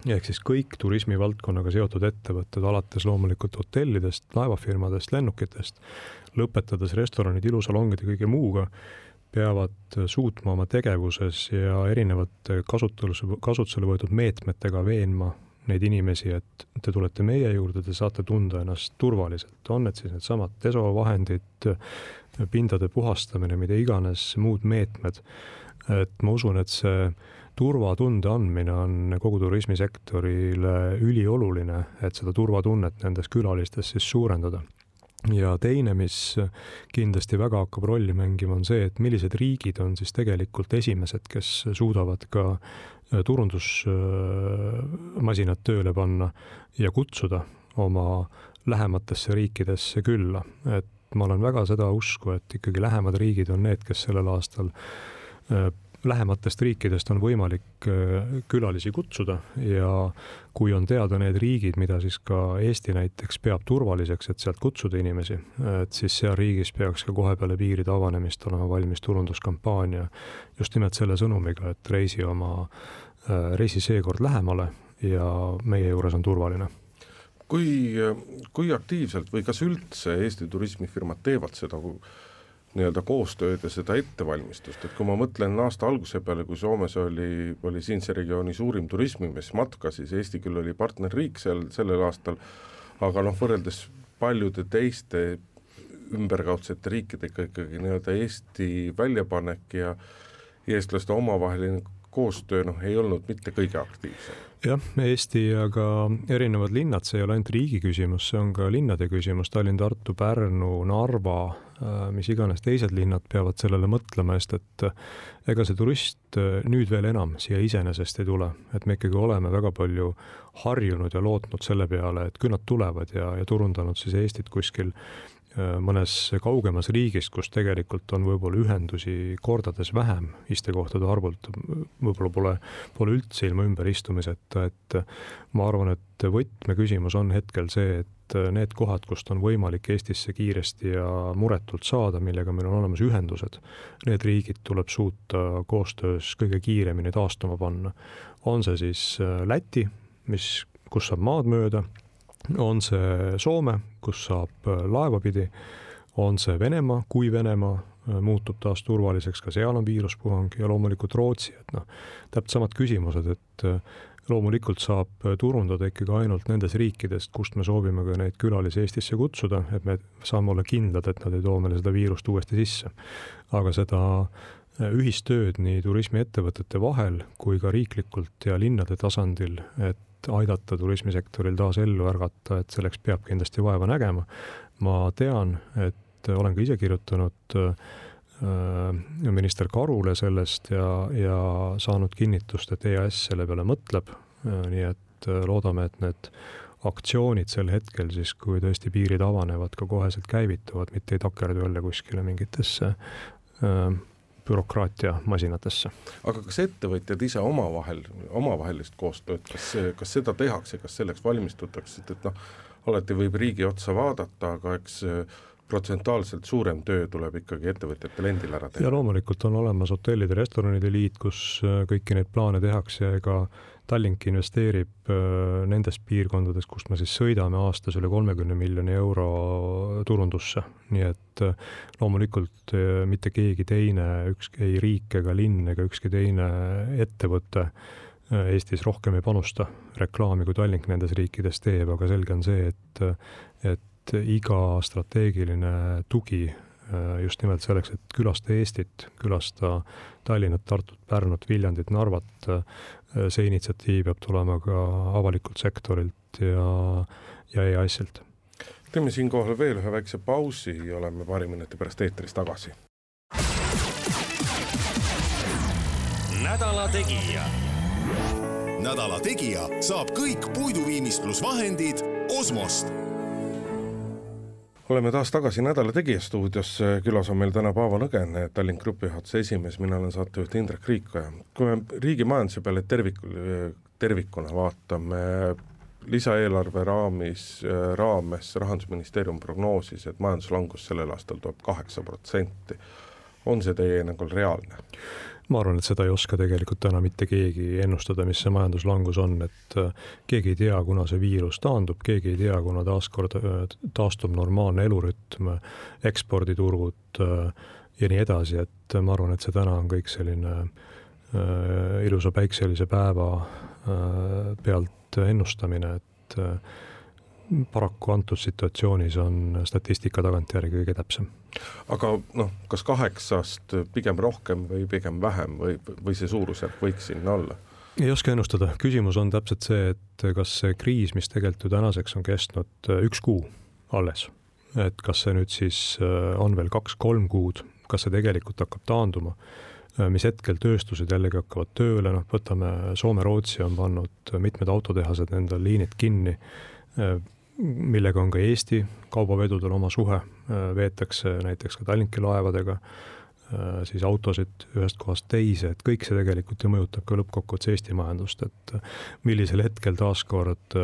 [SPEAKER 5] Ehk siis kõik turismivaldkonnaga seotud ettevõtted, alates loomulikult hotellidest, laevafirmadest, lennukitest, lõpetades restoranid, ilusalongid ja kõige muuga, peavad suutma oma tegevuses ja erinevate kasutusele, kasutusele võetud meetmetega veenma neid inimesi, et te tulete meie juurde, te saate tunda ennast turvaliselt. On need siis need samad desovahendid, pindade puhastamine, mida iganes muud meetmed. Et ma usun, et see turvatunde andmine on kogu turismisektorile ülioluline, et seda turvatunnet nendes külalistes siis suurendada. Ja teine, mis kindlasti väga hakkab rolli mängima, on see, et millised riigid on siis tegelikult esimesed, kes suudavad ka turundusmasinad tööle panna ja kutsuda oma lähematesse riikidesse külla. Et ma olen väga seda usku, et ikkagi lähemad riigid on need, kes sellel aastal lähematest riikidest on võimalik külalisi kutsuda ja kui on teada need riigid, mida siis ka Eesti näiteks peab turvaliseks, et sealt kutsuda inimesi, et siis seal riigis peaks ka kohe peale piiride avanemist olema valmis turunduskampaania just nimelt selle sõnumiga, et reisi oma, reisi seekord lähemale ja meie juures on turvaline.
[SPEAKER 4] Kui, kui aktiivselt või kas üldse Eesti turismifirmad teevad seda nii-öelda koostööd ja seda ettevalmistust, et kui ma mõtlen aasta alguse peale, kui Soomes oli, oli siinse regiooni suurim turismimees matka, siis Eesti küll oli partnerriik seal sellel aastal, aga noh, võrreldes paljude teiste ümberkaudsete riikidega ikkagi nii-öelda Eesti väljapanek ja eestlaste omavaheline koostöö noh, ei olnud mitte kõige aktiivsem.
[SPEAKER 5] Jah, Eesti ja ka erinevad linnad, see ei ole ainult riigi küsimus, see on ka linnade küsimus, Tallinn, Tartu, Pärnu, Narva, mis iganes teised linnad peavad sellele mõtlema, sest et ega see turist nüüd veel enam siia iseenesest ei tule, et me ikkagi oleme väga palju harjunud ja lootnud selle peale, et küll nad tulevad ja, ja turundanud siis Eestit kuskil mõnes kaugemas riigis, kus tegelikult on võib-olla ühendusi kordades vähem istekohtade arvult, võib-olla pole, pole üldse ilma ümber istumiseta, et ma arvan, et võtmeküsimus on hetkel see, et need kohad, kust on võimalik Eestisse kiiresti ja muretult saada, millega meil on olemas ühendused, need riigid tuleb suuta koostöös kõige kiiremini taastuma panna. On see siis Läti, mis, kus saab maad mööda, on see Soome, kus saab laevapidi, on see Venemaa, kui Venemaa muutub taas turvaliseks, ka seal on viiruspuhang ja loomulikult Rootsi, et noh, täpselt samad küsimused, et loomulikult saab turundada ikkagi ainult nendes riikidest, kust me soovime ka neid külalisi Eestisse kutsuda, et me saame olla kindlad, et nad ei too meile seda viirust uuesti sisse. Aga seda ühistööd nii turismiettevõtete vahel kui ka riiklikult ja linnade tasandil, et aidata turismisektoril taas ellu ärgata, et selleks peab kindlasti vaeva nägema. Ma tean, et olen ka ise kirjutanud minister Karule sellest ja, ja saanud kinnitust, et E A S selle peale mõtleb, nii et loodame, et need aktsioonid sel hetkel siis, kui tõesti piirid avanevad, ka koheselt käivituvad, mitte ei takerdu jälle kuskile mingitesse bürokraatia masinatesse.
[SPEAKER 4] Aga kas ettevõtjad ise omavahel, omavahelist koostööd, kas, kas seda tehakse, kas selleks valmistutakse, et noh, alati võib riigi otsa vaadata, aga eks protsentuaalselt suurem töö tuleb ikkagi ettevõtjatel endil ära teha.
[SPEAKER 5] Ja loomulikult on olemas hotellide ja restoranide liit, kus kõiki neid plaane tehakse, ega Tallink investeerib nendes piirkondades, kus me siis sõidame aastas üle kolmekümne miljoni euro turundusse. Nii et loomulikult mitte keegi teine, ükski ei riik ega linn ega ükski teine ettevõte Eestis rohkem ei panusta reklaami, kui Tallink nendes riikides teeb, aga selge on see, et, et iga strateegiline tugi just nimelt selleks, et külasta Eestit, külasta Tallinnat, Tartut, Pärnut, Viljandit, Narvat, see initsiatiiv peab tulema ka avalikult sektorilt ja, ja E A S-ilt.
[SPEAKER 4] Teeme siinkohal veel ühe väikse pausi ja oleme paari minuti pärast eetris tagasi.
[SPEAKER 2] Nädala Tegija.
[SPEAKER 3] Nädala Tegija saab kõik puiduviimistlusvahendid Osmost.
[SPEAKER 4] Oleme taas tagasi Nädala Tegija stuudios, külas on meil täna Paavo Nõgen, Tallink Grupi juhatuse esimees, mina olen saatejuht Indrek Riikoja. Kui me riigi majanduse peale tervik, tervikuna vaatame, lisaeelarve raamis, raames Rahandusministeerium prognoosis, et majanduslangus sellel aastal tuleb kaheksa protsenti. On see teie hinnangul reaalne?
[SPEAKER 5] Ma arvan, et seda ei oska tegelikult täna mitte keegi ennustada, mis see majanduslangus on, et keegi ei tea, kuna see viirus taandub, keegi ei tea, kuna taaskord taastub normaalne elurütm, eksporditurgud ja nii edasi, et ma arvan, et see täna on kõik selline ilusa päikselise päeva pealt ennustamine, et paraku antud situatsioonis on statistika tagantjärgi kõige täpsem.
[SPEAKER 4] Aga noh, kas kaheksast pigem rohkem või pigem vähem või, või see suurusjärk võiks sinna olla?
[SPEAKER 5] Ei oska ennustada. Küsimus on täpselt see, et kas see kriis, mis tegelikult ju tänaseks on kestnud üks kuu alles, et kas see nüüd siis on veel kaks-kolm kuud, kas see tegelikult hakkab taanduma, mis hetkel tööstused jällegi hakkavad tööle, noh, võtame Soome-Rootsi on pannud mitmed autotehased endal liinid kinni, millega on ka Eesti kaubavedudel oma suhe, veetakse näiteks ka Tallinki laevadega, siis autosid ühest kohast teise, et kõik see tegelikult ju mõjutab ka lõppkokkuvõttes Eesti majandust, et millisel hetkel taaskord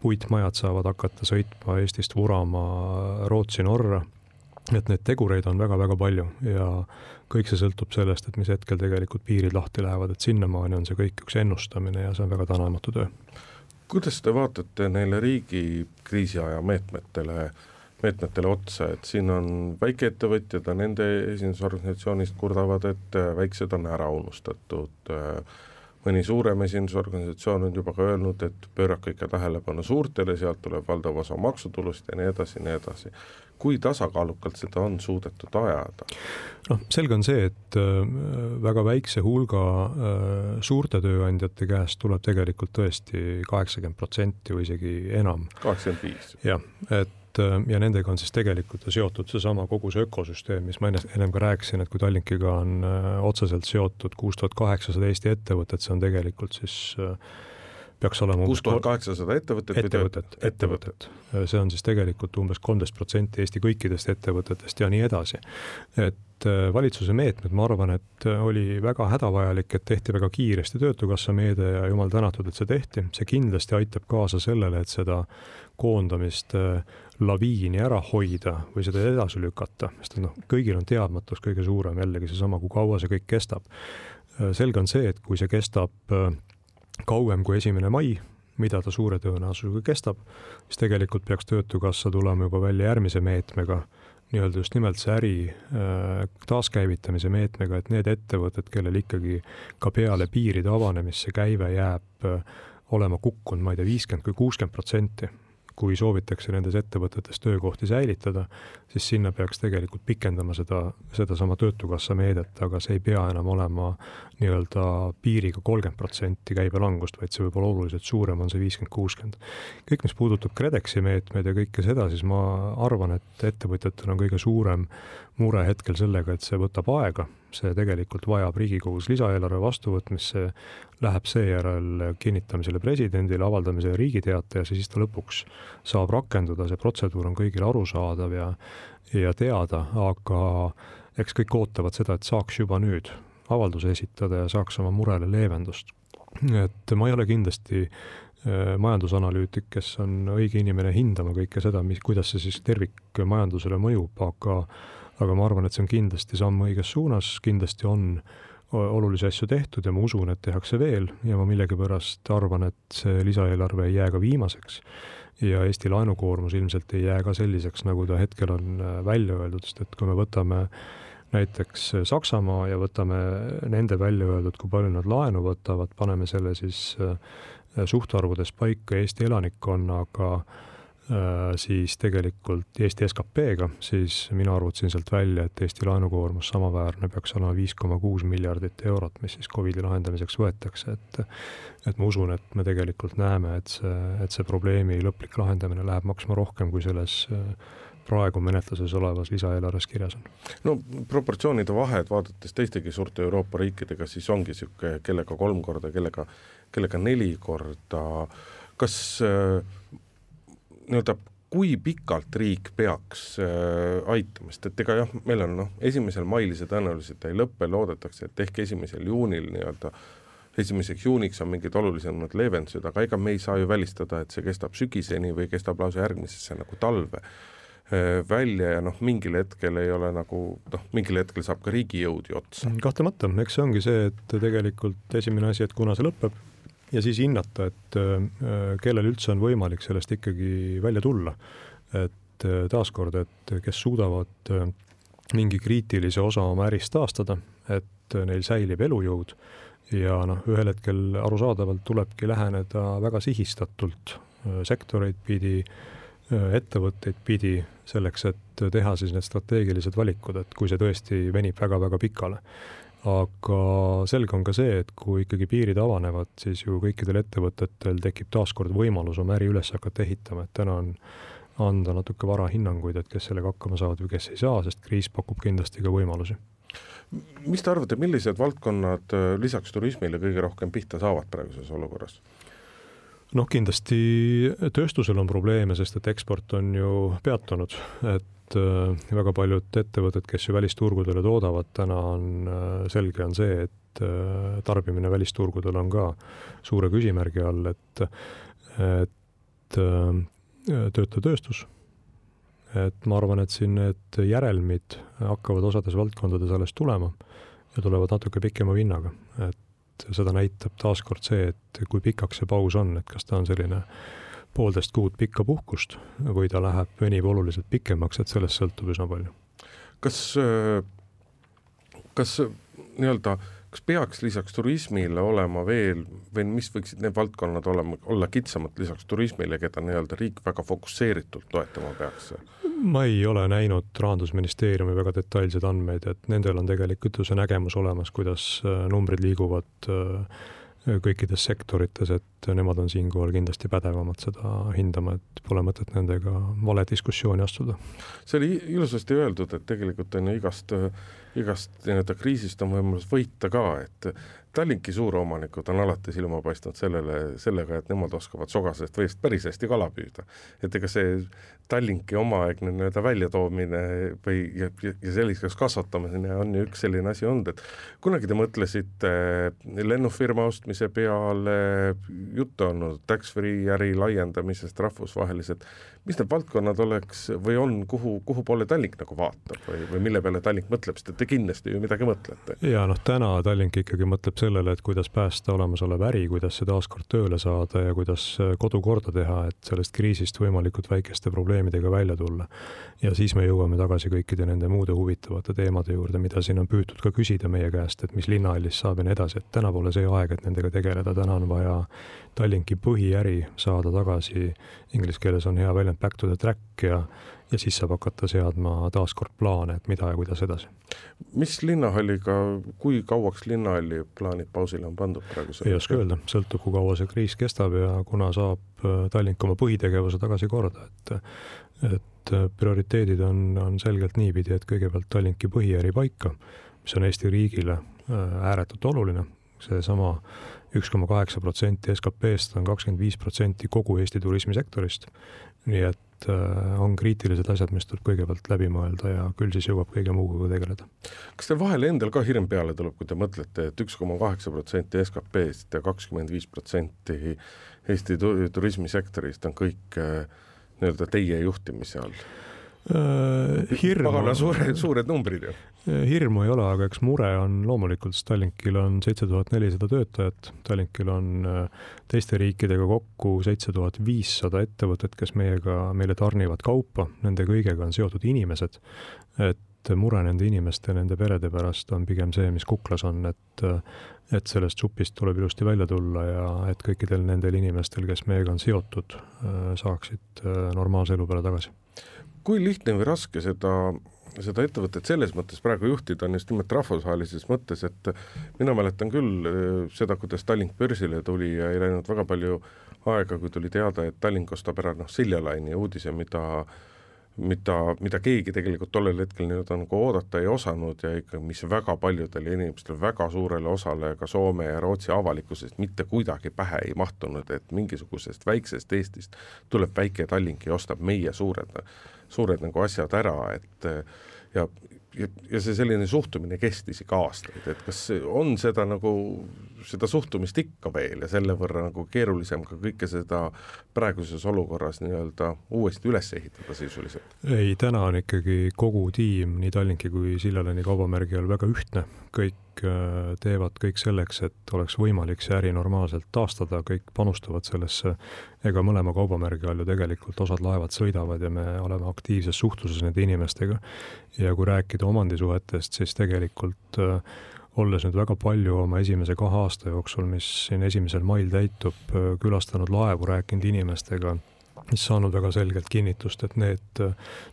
[SPEAKER 5] puitmajad saavad hakata sõitma Eestist vurama Rootsi, Norra, et neid tegureid on väga-väga palju ja kõik see sõltub sellest, et mis hetkel tegelikult piirid lahti lähevad, et sinnamaani on see kõik üks ennustamine ja see on väga tänamatu töö.
[SPEAKER 4] Kuidas te vaatate neile riigi kriisiaja meetmetele, meetmetele otsa, et siin on väikeettevõtjad ja nende esindusorganisatsioonist kurdavad, et väiksed on ära unustatud. Mõni suurem esindusorganisatsioon on juba ka öelnud, et pöörake ikka tähelepanu suurtele, sealt tuleb valdav osa maksutulust ja nii edasi, nii edasi. Kui tasakaalukalt seda on suudetud ajada?
[SPEAKER 5] No, selge on see, et väga väikse hulga suurte tööandjate käest tuleb tegelikult tõesti kaheksakümmend protsenti või isegi enam.
[SPEAKER 4] kaheksakümmend viis.
[SPEAKER 5] Jah, et ja nendega on siis tegelikult seotud see sama kogu see ökosüsteem, mis ma ennem ka rääkisin, et kui Tallinkiga on otseselt seotud kuus tuhat kaheksasada Eesti ettevõtet, see on tegelikult siis peaks olema
[SPEAKER 4] kuus tuhat kaheksasada ettevõtet,
[SPEAKER 5] ettevõtet, ettevõtet. See on siis tegelikult umbes kolmteist protsenti Eesti kõikidest ettevõtetest ja nii edasi. Et valitsuse meetmed, ma arvan, et oli väga hädavajalik, et tehti väga kiiresti töötukassa meede ja jumal tänatud, et see tehti. See kindlasti aitab kaasa sellele, et seda koondamist laviini ära hoida või seda edasi lükata, sest no, kõigil on teadmatus kõige suurem, jällegi see sama, kui kaua see kõik kestab. Selge on see, et kui see kestab kauem kui esimene mai, mida ta suure tõenäosusega kestab, siis tegelikult peaks töötukassa tulema juba välja järgmise meetmega, nii-öelda just nimelt see äri taaskäivitamise meetmega, et need ettevõtted, kellel ikkagi ka peale piiride avanemisse käive jääb olema kukkunud, ma ei tea, viiskümmend kui kuuskümmend protsenti, kui soovitakse nendes ettevõtetes töökohti säilitada, siis sinna peaks tegelikult pikendama seda, seda sama töötukassa meedet, aga see ei pea enam olema nii-öelda piiriga kolmkümmend protsenti käibelangust, vaid see võib olla oluliselt suurem, on see viiskümmend kuuskümmend. Kõik, mis puudutab KredExi meetmed ja kõike seda, siis ma arvan, et ettevõtjatel on kõige suurem mure hetkel sellega, et see võtab aega, see tegelikult vajab Riigikogus lisaeelarve vastuvõtmisse, läheb seejärel kinnitamisele presidendile, avaldamisele riigiteate ja siis ta lõpuks saab rakenduda, see protseduur on kõigile arusaadav ja, ja teada, aga eks kõik ootavad seda, et saaks juba nüüd avalduse esitada ja saaks oma murele leevendust. Et ma ei ole kindlasti majandusanalüütik, kes on õige inimene hindama kõike seda, mis, kuidas see siis tervik majandusele mõjub, aga aga ma arvan, et see on kindlasti samm õiges suunas, kindlasti on olulisi asju tehtud ja ma usun, et tehakse veel ja ma millegipärast arvan, et see lisaeelarve ei jää ka viimaseks ja Eesti laenukoormus ilmselt ei jää ka selliseks, nagu ta hetkel on välja öeldud, sest et kui me võtame näiteks Saksamaa ja võtame nende välja öeldud, kui palju nad laenu võtavad, paneme selle siis suhtarvudes paika Eesti elanikkonnaga, siis tegelikult Eesti S K P-ga, siis mina arvutasin sealt välja, et Eesti laenukoormus samaväärne peaks olema viis koma kuus miljardit eurot, mis siis COVID-i lahendamiseks võetakse. Et, et ma usun, et me tegelikult näeme, et see, et see probleemi lõplik lahendamine läheb maksma rohkem, kui selles praegu menetluses olevas lisaeelarves kirjas on.
[SPEAKER 4] No proportsioonide vahed, vaadates teistegi suurte Euroopa riikidega, siis ongi siuke, kellega kolm korda, kellega, kellega neli korda. Kas nii-öelda, kui pikalt riik peaks äh, aitamast, et ega jah, meil on no, esimesel mail see tõenäoliselt ei lõppe, loodetakse, et ehk esimesel juunil nii-öelda, esimeseks juuniks on mingid olulisemad leevendused, aga ega me ei saa ju välistada, et see kestab sügiseni või kestab lausa järgmisesse nagu talve äh, välja ja noh, mingil hetkel ei ole nagu, noh, mingil hetkel saab ka riigi jõudi otsa.
[SPEAKER 5] Kahtlemata, eks see ongi see, et tegelikult esimene asi, et kuna see lõpeb, ja siis hinnata, et kellel üldse on võimalik sellest ikkagi välja tulla. Et taaskord, et kes suudavad mingi kriitilise osa oma ärist taastada, et neil säilib elujõud ja noh, ühel hetkel arusaadavalt tulebki läheneda väga sihistatult sektoreid pidi, ettevõtteid pidi selleks, et teha siis need strateegilised valikud, et kui see tõesti venib väga-väga pikale. Aga selge on ka see, et kui ikkagi piirid avanevad, siis ju kõikidel ettevõtetel tekib taaskord võimalus oma äri üles hakata ehitama, et täna on anda natuke vara hinnanguid, et kes sellega hakkama saavad või kes ei saa, sest kriis pakub kindlasti ka võimalusi.
[SPEAKER 4] Mis te arvate, millised valdkonnad lisaks turismile kõige rohkem pihta saavad praeguses olukorras?
[SPEAKER 5] noh, kindlasti tööstusel on probleeme, sest et eksport on ju peatunud, et väga paljud ettevõtted, kes ju välisturgudele toodavad, täna on selge on see, et tarbimine välisturgudel on ka suure küsimärgi all, et, et tööta tööstus. Et ma arvan, et siin need järelmid hakkavad osades valdkondades alles tulema ja tulevad natuke pikema vinnaga. Et seda näitab taaskord see, et kui pikaks see paus on, et kas ta on selline poolteist kuud pikka puhkust või ta läheb venib oluliselt pikemaks, et sellest sõltub üsna palju.
[SPEAKER 4] Kas, kas nii-öelda kas peaks lisaks turismile olema veel, või mis võiksid need valdkonnad olema, olla kitsamad lisaks turismile, keda nii-öelda riik väga fokusseeritult toetama peaks?
[SPEAKER 5] Ma ei ole näinud Rahandusministeeriumi väga detailseid andmeid, et nendel on tegelikult see nägemus olemas, kuidas numbrid liiguvad kõikides sektorites, et nemad on siinkohal kindlasti pädevamad seda hindama, et pole mõtet nendega vale diskussiooni astuda.
[SPEAKER 4] See oli ilusasti öeldud, et tegelikult on igast, igast kriisist on võimalus võita ka, et Tallinki suuromanikud on alati silma paistnud sellele, sellega, et nemad oskavad sogasest veest päris hästi kala püüda. Et ega see Tallinki omaaegne nii-öelda väljatoomine või ja, ja selliseks kasvatamine on ju üks selline asi olnud, et kunagi te mõtlesite lennufirma ostmise peale, juttu on tax-free äri laiendamisest rahvusvaheliselt. Mis need valdkonnad oleks või on, kuhu, kuhu poole Tallink nagu vaatab või, või mille peale Tallink mõtleb, sest te kindlasti ju midagi mõtlete?
[SPEAKER 5] Ja noh, täna Tallink ikkagi mõtleb sellele, et kuidas päästa olemasolev äri, kuidas see taaskord tööle saada ja kuidas kodu korda teha, et sellest kriisist võimalikult väikeste probleemidega välja tulla. Ja siis me jõuame tagasi kõikide nende muude huvitavate teemade juurde, mida siin on püütud ka küsida meie käest, et mis linnahallis saab ja nii edasi, et täna pole see aeg, et nendega tegeleda, täna on vaja Tallinki põhiäri saada tagasi, inglis keeles on hea väljend back to the track ja, ja siis saab hakata seadma taaskord plaane, et mida ja kuidas edasi.
[SPEAKER 4] Mis linnahalliga, kui kauaks linnahalli plaanid pausile on pandud praegu?
[SPEAKER 5] Ei oska öelda, sõltub, kui kaua see kriis kestab ja kuna saab Tallink oma põhitegevuse tagasi korda, et, et prioriteedid on, on selgelt niipidi, et kõigepealt Tallinki põhiäri paika, mis on Eesti riigile ääretult oluline, see sama üks koma kaheksa protsenti S K P-st on kakskümmend viis protsenti kogu Eesti turismisektorist, nii et on kriitilised asjad, mis tuleb kõigepealt läbi mõelda ja küll siis jõuab kõige muuga tegeleda.
[SPEAKER 4] Kas teil vahel endal ka hirm peale tuleb, kui te mõtlete, et üks koma kaheksa protsenti S K P-st ja kakskümmend viis protsenti Eesti turismisektorist on kõik nii-öelda teie juhtimise all?
[SPEAKER 5] Hirmu,
[SPEAKER 4] Pagana suure, suured numbrid ju.
[SPEAKER 5] Hirmu ei ole, aga eks mure on loomulikult, Tallinkil on seitse tuhat nelisada töötajat, Tallinkil on teiste riikidega kokku seitse tuhat viissada ettevõtet, kes meiega, meile tarnivad kaupa, nende kõigega on seotud inimesed, et mure nende inimeste, nende perede pärast on pigem see, mis kuklas on, et, et sellest supist tuleb ilusti välja tulla ja et kõikidel nendel inimestel, kes meiega on seotud, saaksid normaalse elu peale tagasi.
[SPEAKER 4] Kui lihtne või raske seda, seda ettevõtet selles mõttes praegu juhtida on just nimelt rahvusvahelises mõttes, et mina mäletan küll seda, kuidas Tallink börsile tuli ja ei läinud väga palju aega, kui tuli teada, et Tallink ostab ära noh, Siljalaini uudise, mida, mida, mida keegi tegelikult tollel hetkel nüüd on nagu oodata ei osanud ja ikka, mis väga paljudele inimestele, väga suurele osale ka Soome ja Rootsi avalikkusest mitte kuidagi pähe ei mahtunud, et mingisugusest väiksest Eestist tuleb väike Tallink ja ostab meie suured suured nagu asjad ära, et ja, ja, ja see selline suhtumine kestis ikka aastaid, et kas on seda nagu, seda suhtumist ikka veel ja selle võrra nagu keerulisem ka kõike seda praeguses olukorras nii-öelda uuesti üles ehitada sisuliselt?
[SPEAKER 5] Ei, täna on ikkagi kogu tiim, nii Tallinki kui Siljalaini kaubamärgi all väga ühtne, kõik teevad kõik selleks, et oleks võimalik see äri normaalselt taastada, kõik panustavad sellesse, ega mõlema kaubamärgi all ju tegelikult osad laevad sõidavad ja me oleme aktiivses suhtluses nende inimestega ja kui rääkida omandisuhetest, siis tegelikult olles nüüd väga palju oma esimese kahe aasta jooksul, mis siin esimesel mail täitub, külastanud laevu, rääkinud inimestega, mis saanud väga selgelt kinnitust, et need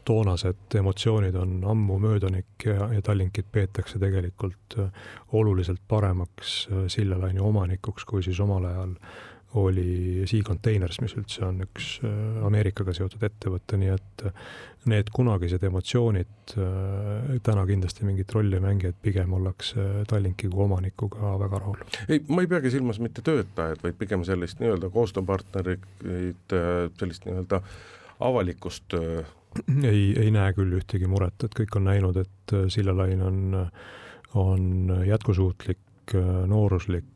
[SPEAKER 5] toonased emotsioonid on ammu möödanik ja, ja Tallinkit peetakse tegelikult oluliselt paremaks Siljalaini omanikuks, kui siis omal ajal oli Sea Containers, mis üldse on üks Ameerikaga seotud ettevõte, nii et need kunagised emotsioonid täna kindlasti mingit rolli mängi, et pigem ollakse Tallinki kui omanikuga väga rahul.
[SPEAKER 4] Ei, ma ei peagi silmas mitte töötajad, vaid pigem sellist nii-öelda koostööpartnerid, sellist nii-öelda avalikust
[SPEAKER 5] ei, ei näe küll ühtegi muret, et kõik on näinud, et Sillalain on, on jätkusuutlik, nooruslik,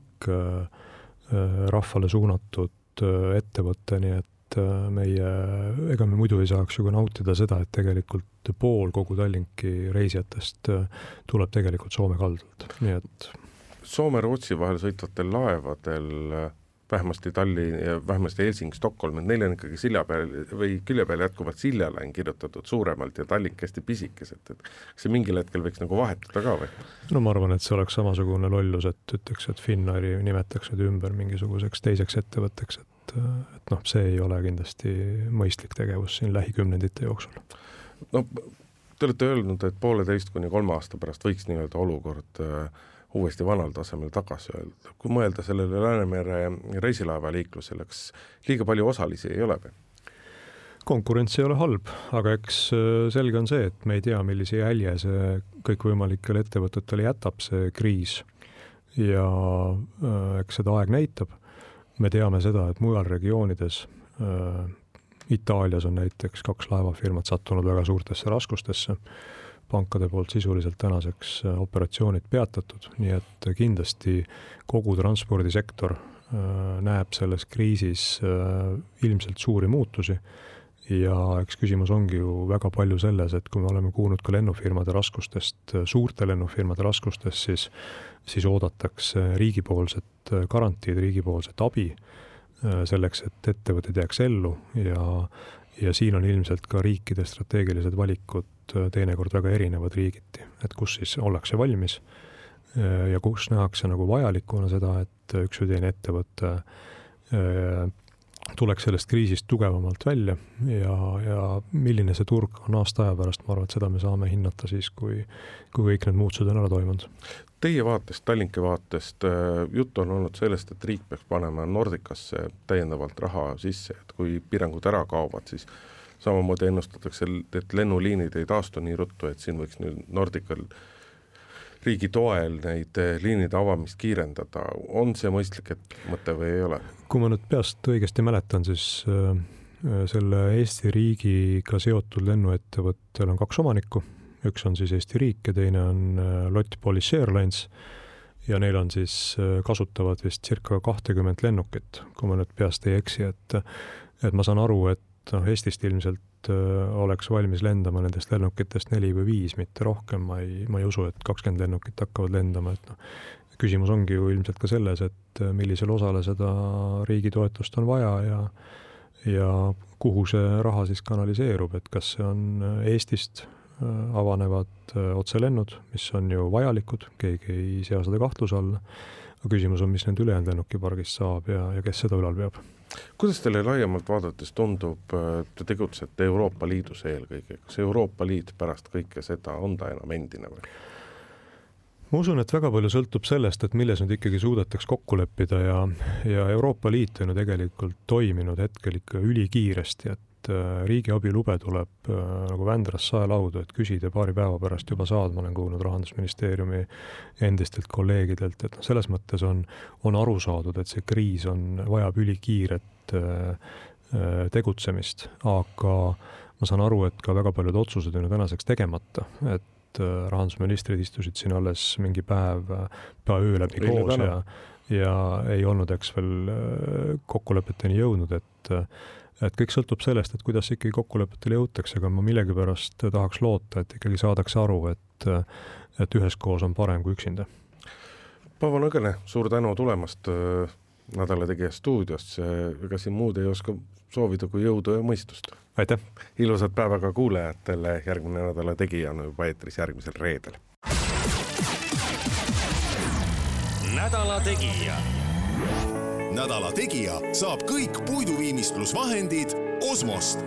[SPEAKER 5] rahvale suunatud ettevõtte, nii et meie, ega me muidu ei saaks ju ka nautida seda, et tegelikult pool kogu Tallinki reisijatest tuleb tegelikult Soome kaldalt. Nii et
[SPEAKER 4] Soome-Rootsi vahel sõitvatel laevadel, vähemasti Tallinn ja vähemasti Helsing, Stockholm, et neil on ikkagi silja peal või külje peal jätkuvalt Siljalain kirjutatud suuremalt ja Tallink hästi pisikesed, et see mingil hetkel võiks nagu vahetada ka või?
[SPEAKER 5] No ma arvan, et see oleks samasugune lollus, et ütleks, et Finnairi nimetaks nüüd ümber mingisuguseks teiseks ettevõtteks, et, et noh, see ei ole kindlasti mõistlik tegevus siin lähikümnendite jooksul.
[SPEAKER 4] No, te olete öelnud, et pooleteist kuni kolme aasta pärast võiks nii-öelda olukord uuesti vanal tasemel tagasi öelda. Kui mõelda sellele Läänemere reisilaeva liiklusele, kas liiga palju osalisi ei ole või?
[SPEAKER 5] Konkurents ei ole halb, aga eks selge on see, et me ei tea, millise jälje see kõikvõimalikele ettevõtetele jätab see kriis ja eks seda aeg näitab. Me teame seda, et mujal regioonides, Itaalias on näiteks kaks laevafirmat sattunud väga suurtesse raskustesse, pankade poolt sisuliselt tänaseks operatsioonid peatatud, nii et kindlasti kogu transpordisektor näeb selles kriisis ilmselt suuri muutusi ja eks küsimus ongi ju väga palju selles, et kui me oleme kuulnud ka lennufirmade raskustest, suurte lennufirmade raskustest, siis, siis oodatakse riigipoolset garantiid, riigipoolset abi selleks, et ettevõtted jääks ellu ja, ja siin on ilmselt ka riikide strateegilised valikud teinekord väga erinevad riigiti, et kus siis ollakse valmis ja kus nähakse nagu vajalikuna seda, et üks või teine ettevõte tuleks sellest kriisist tugevamalt välja ja, ja milline see turg on aasta aja pärast, ma arvan, et seda me saame hinnata siis, kui, kui kõik need muutused on ära toimunud.
[SPEAKER 4] Teie vaatest, Tallinki vaatest, jutt on olnud sellest, et riik peaks panema Nordicasse täiendavalt raha sisse, et kui piirangud ära kaovad, siis samamoodi ennustatakse, et lennuliinid ei taastu nii ruttu, et siin võiks nüüd Nordical riigi toel neid liinide avamist kiirendada. On see mõistlik, et mõte või ei ole?
[SPEAKER 5] Kui ma nüüd peast õigesti mäletan, siis selle Eesti riigiga seotud lennuettevõttel on kaks omanikku. Üks on siis Eesti riik ja teine on Lott Polish Airlines ja neil on siis kasutavad vist circa kakskümmend lennukit, kui ma nüüd peast ei eksi, et, et ma saan aru, et noh, Eestist ilmselt oleks valmis lendama nendest lennukitest neli või viis, mitte rohkem. Ma ei, ma ei usu, et kakskümmend lennukit hakkavad lendama. Et noh, küsimus ongi ju ilmselt ka selles, et millisel osale seda riigi toetust on vaja ja, ja kuhu see raha siis kanaliseerub, et kas see on Eestist avanevad otselennud, mis on ju vajalikud, keegi ei sea seda kahtluse alla. Aga küsimus on, mis nende ülejäänud lennukipargist saab ja, ja kes seda ülal peab.
[SPEAKER 4] Kuidas teile laiemalt vaadates tundub, te tegutsete Euroopa Liidus eelkõige? Kas Euroopa Liit pärast kõike seda on ta enam endine või?
[SPEAKER 5] Ma usun, et väga palju sõltub sellest, et milles nüüd ikkagi suudetaks kokku leppida ja, ja Euroopa Liit on ju tegelikult toiminud hetkel ikka ülikiiresti, et riigiabilube tuleb nagu Vändras saelaudu, et küsida paari päeva pärast juba saad, ma olen kuulnud Rahandusministeeriumi endistelt kolleegidelt, et selles mõttes on, on aru saadud, et see kriis on, vajab ülikiiret tegutsemist, aga ma saan aru, et ka väga paljud otsused on ju tänaseks tegemata, et rahandusministrid istusid siin alles mingi päev pea öö läbi koos ja, ja ei olnud eks veel kokkulepeteni jõudnud, et et kõik sõltub sellest, et kuidas ikkagi kokkulepetele jõutakse, aga ma millegipärast tahaks loota, et ikkagi saadakse aru, et, et üheskoos on parem kui üksinda.
[SPEAKER 4] Paavo Nõgene, suur tänu tulemast Nädala Tegija stuudiosse, ega siin muud ei oska soovida kui jõudu ja mõistust.
[SPEAKER 5] Aitäh!
[SPEAKER 4] Ilusat päeva ka kuulajatele, järgmine Nädala Tegija on juba eetris järgmisel reedel.
[SPEAKER 2] Nädala Tegija.
[SPEAKER 3] Nädala Tegija saab kõik puiduviimistlusvahendid Osmost.